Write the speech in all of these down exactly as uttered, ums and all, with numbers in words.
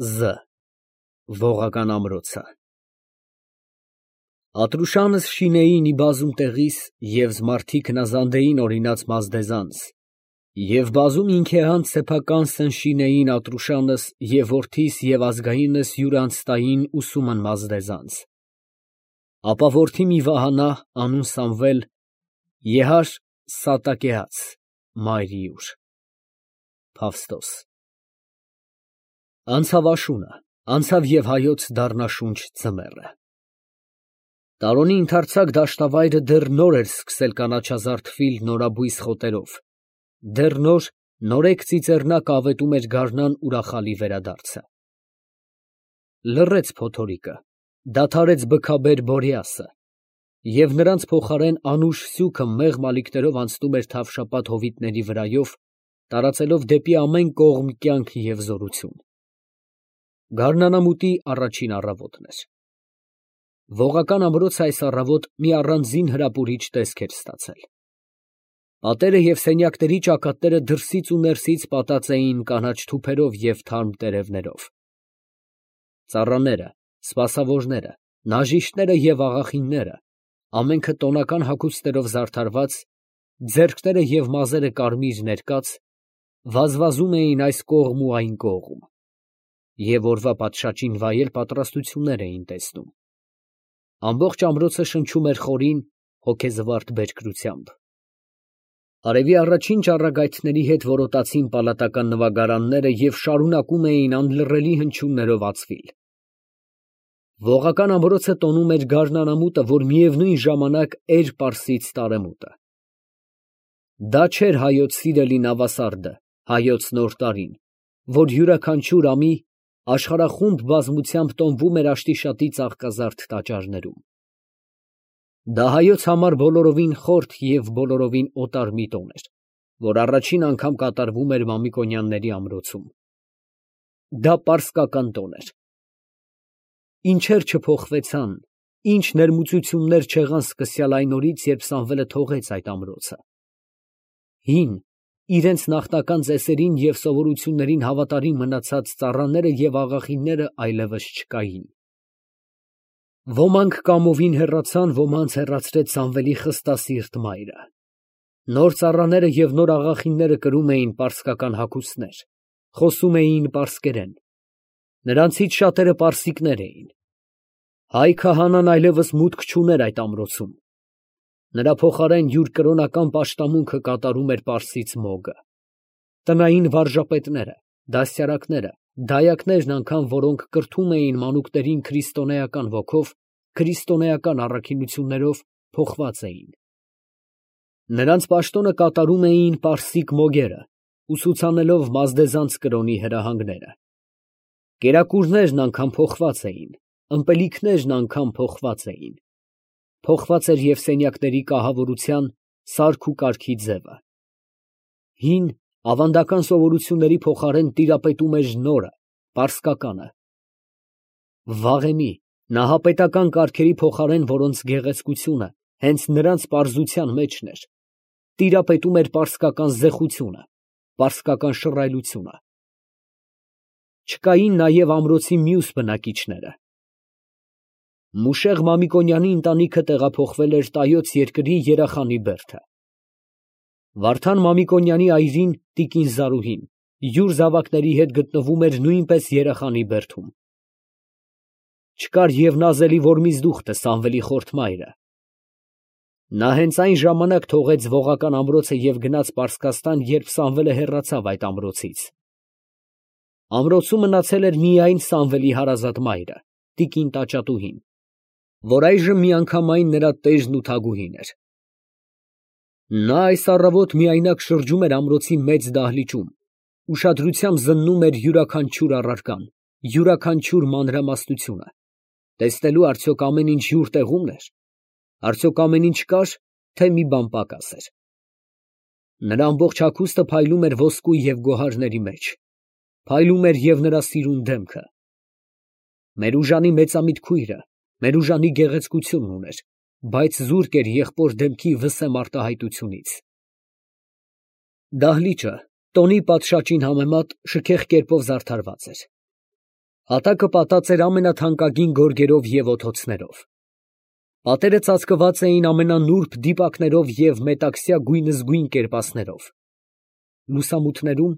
Զ Ողական ամրոցը Ատրուշանս շինեին ի բազում տեղիս և զմարթիկ նազանդեին օրինաց մազդեզանս և բազում ինքեհանց սեփականսն շինեին Ատրուշանս և որդիս և ազգայինս յուրանց տային ուսումն մազդեզանս ապա որդի մի վահանա անուն Սամվել եհար Սատակեաց մայր իուր Փավստոս Անցավ աշունը, անցավ և հայոց դառնաշունչ ձմեռը։ Տարոնի ընդարձակ դաշտավայրը դեռ նոր էր սկսել կանաչազարդվել նորաբույս խոտերով, դեռ նոր նորեկ ծիծեռնակ ավետում էր գարնան ուրախալի վերադարձը։ Լռեց փոթորիկը, դադարեց բքաբեր Բորիասը, և նրանց փոխարեն անուշ սյուքը մեղմ ալիքներով անցնում էր թավշապատ հովիտների վրայով, տարածելով դեպի ամեն կողմ կյանք և զորություն։ Գարնանամուտի առաջին առավոտն էր։ Ողական ամրոցը այս առավոտ մի առանձին հրապուրիչ տեսք էր ստացել։ Պատերը և սենյակների ճակատները դրսից ու ներսից պատած էին կանաչ թուփերով և թարմ տերևներով։ Ծառաները, սպասավորները, նաժիշտները և աղախինները, ամենքը տոնական հագուստներով զարդարված, ձեռքները և մազերը կարմիր ներկած, վազվազում էին այս կողմ ու այն կողմ, և օրվա պատշաճին վայել պատրաստություններ էին տեսնում։ Ամբողջ ամրոցը շնչում էր խորին, հոգեզվարթ բերկրությամբ։ Արևի առաջին ճառագայթների հետ որոտացին պալատական նվագարանները և շարունակում էին անլռելի հնչյուններով ածվել։ Ողական ամրոցը տոնում էր գարնանամուտը, որ միևնույն ժամանակ էր պարսից տարեմուտը։ Դա չէր հայոց սիրելի նավասարդը, հայոց նոր տարին, որ յուրաքանչյուր ամի աշխարհախումբ բազմությամբ տոնվում էր աշտիշատի ծաղկազարդ տաճարներում։ Դա հայոց համար բոլորովին խորթ և բոլորովին օտար մի տոն էր, որ առաջին անգամ կատարվում էր Մամիկոնյանների ամրոցում։ Դա պարսկական տոն էր։ Ինչեր չփոխվեցան, ինչ ներմուծություններ չեղան սկսյալ այն օրից, երբ Սամվելը թողեց այդ ամրոցը։ Հին, իրենց նախնական ծեսերին և սովորություններին հավատարիմ մնացած ծառաները և աղախինները այլևս չկային։ Ոմանք կամովին հեռացան, ոմանց հեռացրեց Սամվելի խստասիրտ մայրը։ Նոր ծառաները և նոր աղախինները կրում էին պարսկական հագուստներ, խոսում էին պարսկերեն։ Նրանցից շատերը պարսիկներ էին։ Հայ քահանան այլևս մուտք չուներ այդ ամրոցում։ Նրա փոխարեն յուր կրոնական պաշտամունքը կատարում էր պարսից Մոգը։ Տնային վարժապետները, դաստիարակները, դայակներն անգամ, որոնք կրթում էին մանուկներին քրիստոնեական ոգով, քրիստոնեական առաքինություններով, փոխված էին։ Նրանց պաշտոնը կատարում էին պարսիկ մոգերը, ուսուցանելով մազդեզանց կրոնի հրահանգները։ Կերակուրներն անգամ փոխված էին, ըմպելիքներն անգամ փոխված էին։ Փոխված էր և սենյակների կահավորության, սարք ու կարգի ձևը։ Հին, ավանդական սովորությունների փոխարեն տիրապետում էր նորը, պարսկականը։ Վաղեմի, նահապետական կարգերի փոխարեն, որոնց գեղեցկությունը հենց նրանց պարզության մեջն էր, տիրապետում էր պարսկական զեխությունը, պարսկական շռայլությունը։ Չկային նաև ամրոցի մյուս բնակիչները։ Մուշեղ Մամիկոնյանի ընտանիքը տեղափոխվել էր Տայոց երկրի Երախանի Բերդը։ Վարդան Մամիկոնյանի այրին, տիկին Զարուհին, յուր զավակների հետ գտնվում էր նույնպես Երախանի Բերդում։ Չկար և նազելի Որմիզդուխտը, Սամվելի խորթ մայրը։ Նա հենց այն ժամանակ թողեց ողական ամրոցը և գնաց Պարսկաստան, երբ Սամվելը հեռացավ այդ ամրոցից։ Ամրոցում մնացել էր միայն Սամվելի հարազատ մայրը, տիկին Տաճատուհին, որ այժմ միանգամայն նրա տերն ու թագուհին էր։ Նա այս առավոտ միայնակ շրջում էր ամրոցի մեծ դահլիճում, ուշադրությամբ զննում էր յուրաքանչյուր առարկան, յուրաքանչյուր մանրամասնությունը, տեսնելու արդյոք ամեն ինչ յուր տեղումն էր, արդյոք ամեն ինչ կար, թե մի բան պակաս էր։ Նրա ամբողջ հագուստը փայլում էր ոսկու և գոհարների մեջ, փայլում էր և նրա սիրուն դեմքը։ Մերուժանի մեծամիտ քույրը Մերուժանի գեղեցկությունն ուներ, բայց զուրկ էր եղբոր դեմքի վսեմ արտահայտությունից։ Դահլիճը տոնի պատշաճին համեմատ շքեղ կերպով զարդարված էր։ Հատակը պատած էր ամենաթանկագին գորգերով և օթոցներով։ Պատերը ծածկված էին ամենանուրբ դիպակներով և մետաքսյա գույնզգույն կերպասներով։ Լուսամուտներում,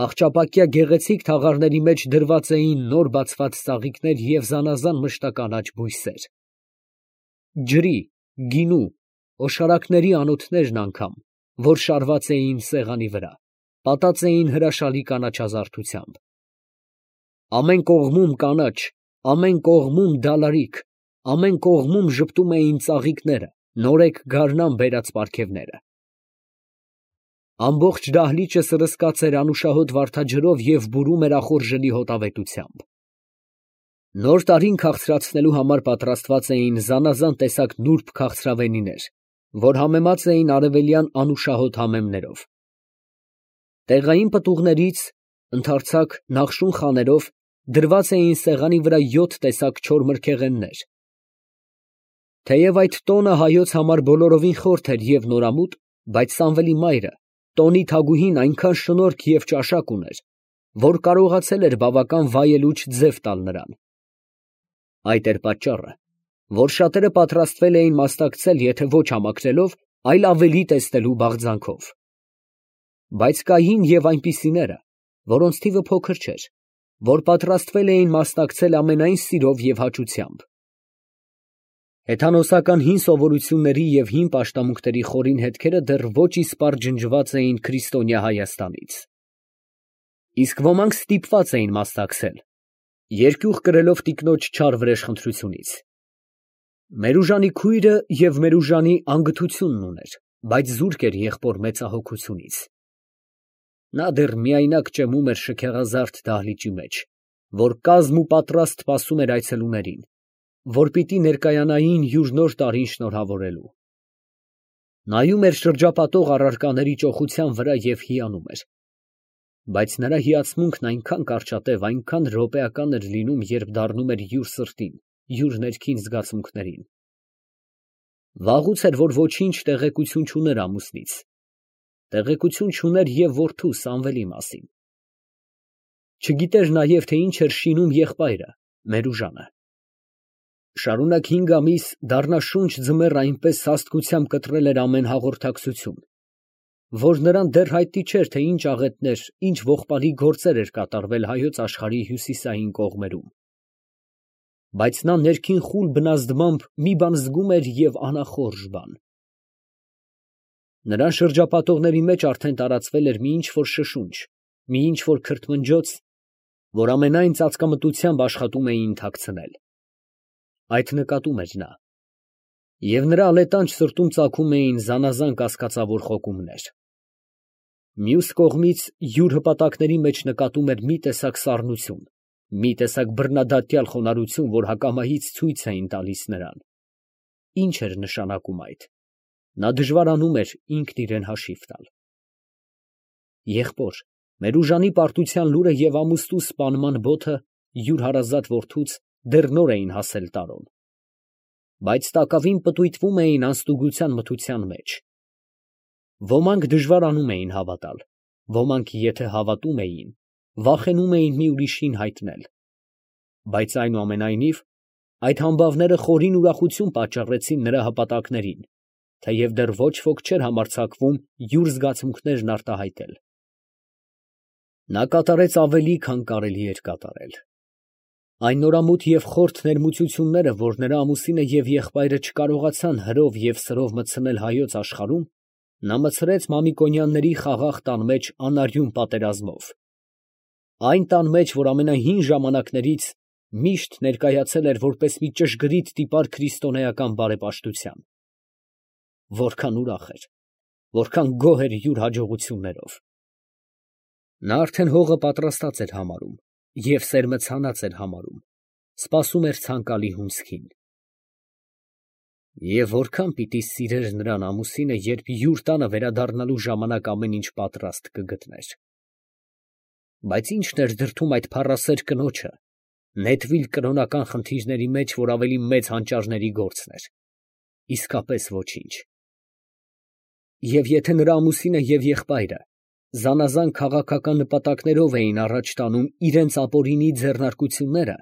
հախճապակյա գեղեցիկ թաղարների մեջ դրված էին նոր բացված ծաղիկներ և զանազան մշտականաչ բույսեր։ Ջրի, գինու, օշարակների անոթներն անգամ, որ շարված էին սեղանի վրա, պատած էին հրաշալի կանաչազարդությամբ։ Ամեն կողմում կանաչ, ամեն կողմում դալարիք, ամեն կողմում ժպտում էին ծաղիկները, նորեկ գարնան բերած պարգևները։ Ամբողջ դահլիճը սրսկած էր անուշահոտ վարդաջրով և բուրում էր ախորժելի հոտավետությամբ։ Նոր տարին քաղցրացնելու համար պատրաստված էին զանազան տեսակ նուրբ քաղցրավենիներ, որ համեմած էին արևելյան անուշահոտ համեմներով։ Տեղային պտուղներից, ընդարձակ նախշուն խաներով դրված էին սեղանի վրա յոթ տեսակ չոր մրգեղեններ։ Թեև այդ տոնը հայոց համար բոլորովին խորթ էր և նորամուտ, բայց Սամվելի մայրը, տոնի թագուհին, այնքան շնորհք և ճաշակ ուներ, որ կարողացել էր բավական վայելուչ ձև տալ նրան։ Այդ էր պատճառը, որ շատերը պատրաստվել էին մասնակցել եթե ոչ համակրելով, այլ ավելի տեսնելու բաղձանքով։ Բայց կային և այնպիսիները, որոնց թիվը փոքր չէր, որ պատրաստվել էին մասնակցել ամենայն սիրով և հաճությամբ։ Հեթանոսական հին սովորությունների և հին պաշտամունքների խորին հետքերը դեռ ոչ իսպառ ջնջված էին քրիստոնյա Հայաստանից։ Իսկ ոմանք ստիպված էին մասնակցել, երկյուղ կրելով տիկնոջ չար վրեժխնդրությունից։ Մերուժանի քույրը և Մերուժանի անգթությունն ուներ, բայց զուրկ էր եղբոր մեծահոգությունից։ Նա դեռ միայնակ ճեմում էր շքեղազարդ դահլիճի մեջ, որ կազմ ու պատրաստ սպասում էր այցելուներին, որ պիտի ներկայանային յուր նոր տարին շնորհավորելու։ Նայում էր շրջապատող առարկաների ճոխության վրա և հիանում էր։ Բայց նրա հիացմունքն այնքան կարճատև, այնքան րոպեական էր լինում, երբ դառնում էր յուր սրտին, յուր ներքին զգացմունքներին։ Վաղուց էր, որ ոչինչ տեղեկություն չուներ ամուսնից, տեղեկություն չուներ և որդու Սամվելի մասին։ Չգիտեր նաև, թե ինչ էր շինում եղբայրը, Մերուժանը։ Շարունակ հինգ ամիս դառնաշունչ ձմեռ այնպես սաստկությամբ կտրել էր ամեն հաղորդակցություն, որ նրան դեռ հայտնի չէր, թե ինչ աղետներ, ինչ ողբալի գործեր էր կատարվել հայոց աշխարհի հյուսիսային կողմերում։ Բայց նա ներքին խուլ բնազդմամբ մի բան զգում էր և անախորժ բան։ Նրան շրջապատողների մեջ արդեն տարածվել էր մի ինչ֊որ շշունչ, մի ինչ֊որ քրթմնջոց, որ ամենայն ծածկամտությամբ աշխատում էին թաքցնել։ Այդ նկատում էր նա։ Եվ նրա ալետանջ սրտում ծագում էին զանազան կասկածավոր խոկումներ։ Մյուս կողմից յուր հպատակների մեջ նկատում էր մի տեսակ սառնություն, մի տեսակ բռնադատյալ խոնարհություն, որ հակամայից ցույց էին տալիս նրան։ Ինչ էր նշանակում այդ։ Նա դժվարանում էր ինքն իրան հաշիվ տալ։ Եղբոր, Մերուժանի պարտության լուրը և ամուսնու սպանման բոթը յուր հարազատ որդուց դեռ նոր էին հասել տարուն, բայց տակավին պտույտվում էին անստուգության մթության մեջ։ Ոմանք դժվարանում էին հավատալ, ոմանք, եթե հավատում էին, վախենում էին մի ուրիշին հայտնել։ Բայց այնուամենայնիվ, այդ համբավները խորին ուրախություն պատճառեցին նրա հպատակներին, թեև դեռ ոչ ոք չէր համարձակվում յուր զգացմունքներն արտահայտել։ Նա կատարեց ավելի, քան կարելի էր կատարել։ Այն նորամուտ և խորթ ներմուծությունները, որ նրա ամուսինը և եղբայրը չկարողացան հրով և սրով մտցնել հայոց աշխարհում, նա մտցրեց Մամիկոնյանների խաղաղ տան մեջ անարյուն պատերազմով։ Այն տան մեջ, որ ամենահին ժամանակներից միշտ ներկայացել էր որպես մի ճշգրիտ տիպար քրիստոնեական բարեպաշտության։ Որքան ուրախ էր, որքան գոհ էր յուր հաջողություններով։ Նա արդեն հողը պատրաստած էր համարում և սերմը ցանած էր համարում, սպասում էր ցանկալի հունձքին։ Եվ որքան պիտի սիրեր նրան ամուսինը, երբ յուր տանը վերադառնալու ժամանակ ամեն ինչ պատրաստ կգտներ։ Բայց ի՞նչն էր դրդում այդ փառասեր կնոջը նետվիլ կրոնական խնդիրների մեջ, որ ավելի մեծ հանճարների գործն էր։ Իսկապես ոչինչ։ Եվ եթե նրա ամուսինը և եղբայրը զանազան քաղաքական նպատակներով էին առաջ տանում իրենց ապօրինի ձեռնարկությունները,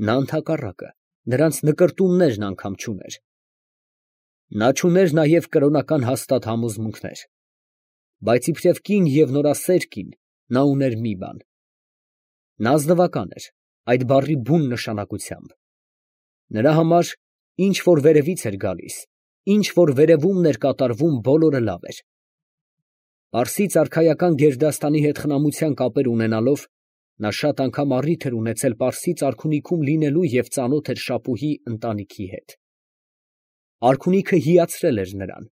նա ընդհակառակը նրանց նկրտումներն անգամ չուներ։ Նա չուներ նաև կրոնական հաստատ համոզմունքներ, բայց իբրև կին և նորասեր կին նա ուներ մի բան. նա ազնվական էր այդ բառի բուն նշանակությամբ։ Նրա համար ինչ որ վերևից էր գալիս, ինչ որ վերևումն էր կատարվում, բոլորը լավ էր։ Պարսից արքայական գերդաստանի հետ խնամության կապեր ունենալով, նա շատ անգամ առիթ էր ունեցել պարսից արքունիքում լինելու և ծանոթ էր Շապուհի ընտանիքի հետ։ Արքունիքը հիացրել էր նրան,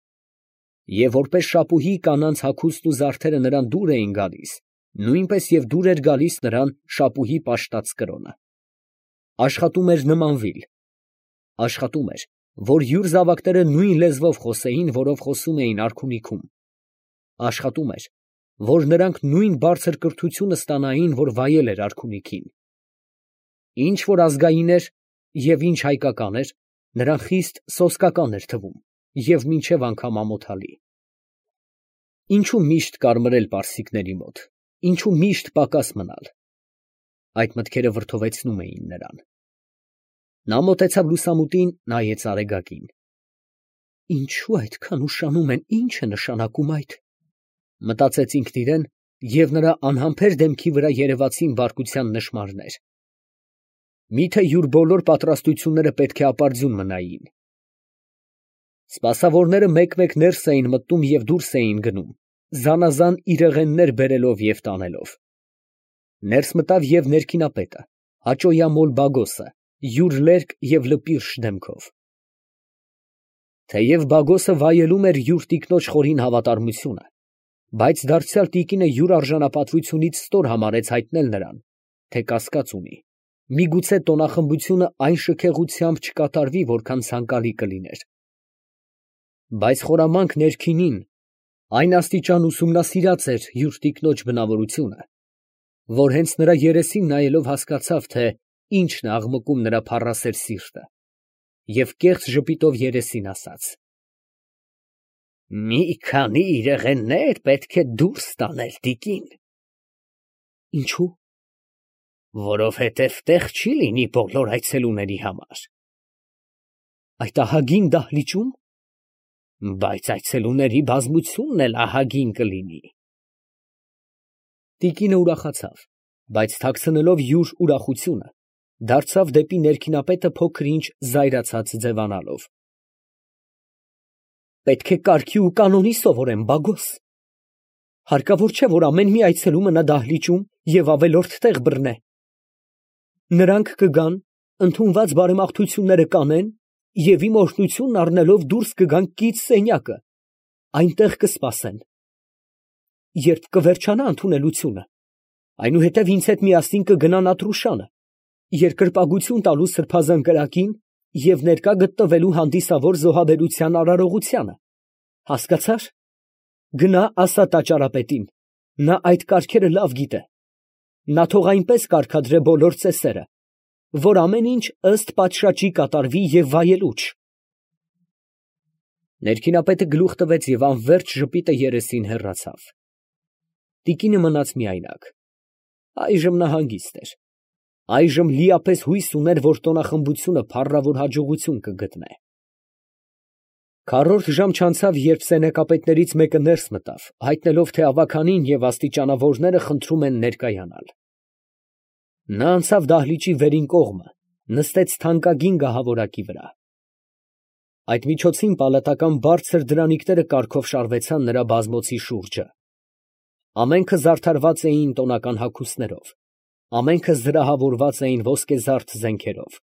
և որպես Շապուհի կանանց հագուստն ու զարդերը նրան դուր էին գալիս, նույնպես և դուր էր գալիս նրան Շապուհի պաշտած կրոնը։ Աշխատում էր նմանվիլ, աշխատում էր, որ յուր զավակները նույն լեզվով խոսեին, որով խոսում էին արքունիքում, աշխատում էր, որ նրանք նույն բարձր կրթությունը ստանային, որ վայել էր արքունիքին։ Ինչ որ ազգային էր և ինչ հայկական էր, նրան խիստ սոսկական էր թվում և մինչև անգամ ամոթալի։ Ինչո՞ւ միշտ կարմրել պարսիկների մոտ, ինչո՞ւ միշտ պակաս մնալ։ Այդ մտքերը վրդովեցնում էին նրան։ Նա մոտեցավ լուսամուտին, նայեց արեգակին։ Ինչո՞ւ այդքան ուշանում են, ի՞նչ է նշանակում այդ, մտածեց ինքն իրեն, և նրա անհամբեր դեմքի վրա երևացին բարկության նշմարներ։ Միթե յուր բոլոր պատրաստությունները պետք է ապարդյուն մնային։ Սպասավորները մեկ֊մեկ ներս էին մտնում և դուրս էին գնում, զանազան իրեղեններ բերելով և տանելով։ Ներս մտավ և ներքինապետը, հաճոյամոլ Բագոսը, յուր լերկ և լպիրշ դեմքով։ Թեև Բագոսը վայելում էր յուր տիկնոջ խորին հավատարմությունը, բայց դարձյալ տիկինը յուր արժանապատվությունից ստոր համարեց հայտնել նրան, թե կասկած ունի, միգուցե տոնախմբությունը այն շքեղությամբ չկատարվի, որքան ցանկալի կլիներ։ Բայց խորամանկ ներքինին այն աստիճան ուսումնասիրած էր յուր տիկնոջ բնավորությունը, որ հենց նրա երեսին նայելով հասկացավ, թե ինչն է աղմկում նրա փառասեր սիրտը, և կեղծ ժպիտով երեսին ասաց. «Մի քանի իրեղեններ պետք է դուրս տանել, տիկին»։ Ինչո՞ւ։ Որովհետև տեղ չի լինի բոլոր այցելուների համար։ Այդ ահագին դահլիճո՞ւմ։ Բայց այցելուների բազմությունն էլ ահագին կլինի։ Տիկինը ուրախացավ, բայց թաքցնելով յուր ուրախությունը, դարձավ դեպի ներքինապետը փոքր֊ինչ զայրացած ձևանալով։ Պետք է կարգի ու կանոնի սովորեմ, Բագոս։ Հարկավոր չէ, որ ամեն մի այցելու մնա դահլիճում և ավելորդ տեղ բռնե։ Նրանք կգան, ընդունված բարեմաղթությունները կանեն և իմ օրհնությունն առնելով դուրս կգան կից սենյակը, այնտեղ կսպասեն։ Երբ կվերջանա ընդունելությունը, այնուհետև ինձ հետ միասին կգնան Ատրուշանը, երկրպագություն տալու սրբազան կրակին և ներկա գտնվելու հանդիսավոր զոհաբերության արարողությանը, հասկացա՞ր։ Գնա ասա տաճարապետին, նա այդ կարգերը լավ գիտե, նա թող այնպես կարգադրե բոլոր ծեսերը, որ ամեն ինչ ըստ պատշաճի կատարվի և վայելուչ։ Ներքինապետը գլուխ տվեց և անվերջ ժպիտը երեսին հեռացավ։ Տիկինը մնաց միայնակ։ Այժմ նա հանգիստ էր։ Այժմ լիապես հույս ուներ, որ տոնախմբությունը փառավոր հաջողություն կգտնե։ Քառորդ ժամ չանցավ, երբ սենյակապետներից մեկը ներս մտավ, հայտնելով, թե ավագանին և աստիճանավորները խնդրում են ներկայանալ։ Նա անցավ դահլիճի վերին կողմը, նստեց թանկագին գահավորակի վրա։ Այդ միջոցին պալատական բարձր դրանիկները կարգով շարվեցան նրա բազմոցի շուրջը։ Ամենքը զարդարված էին տոնական հագուստներով, ամենքը զրահավորված էին ոսկեզարդ զենքերով։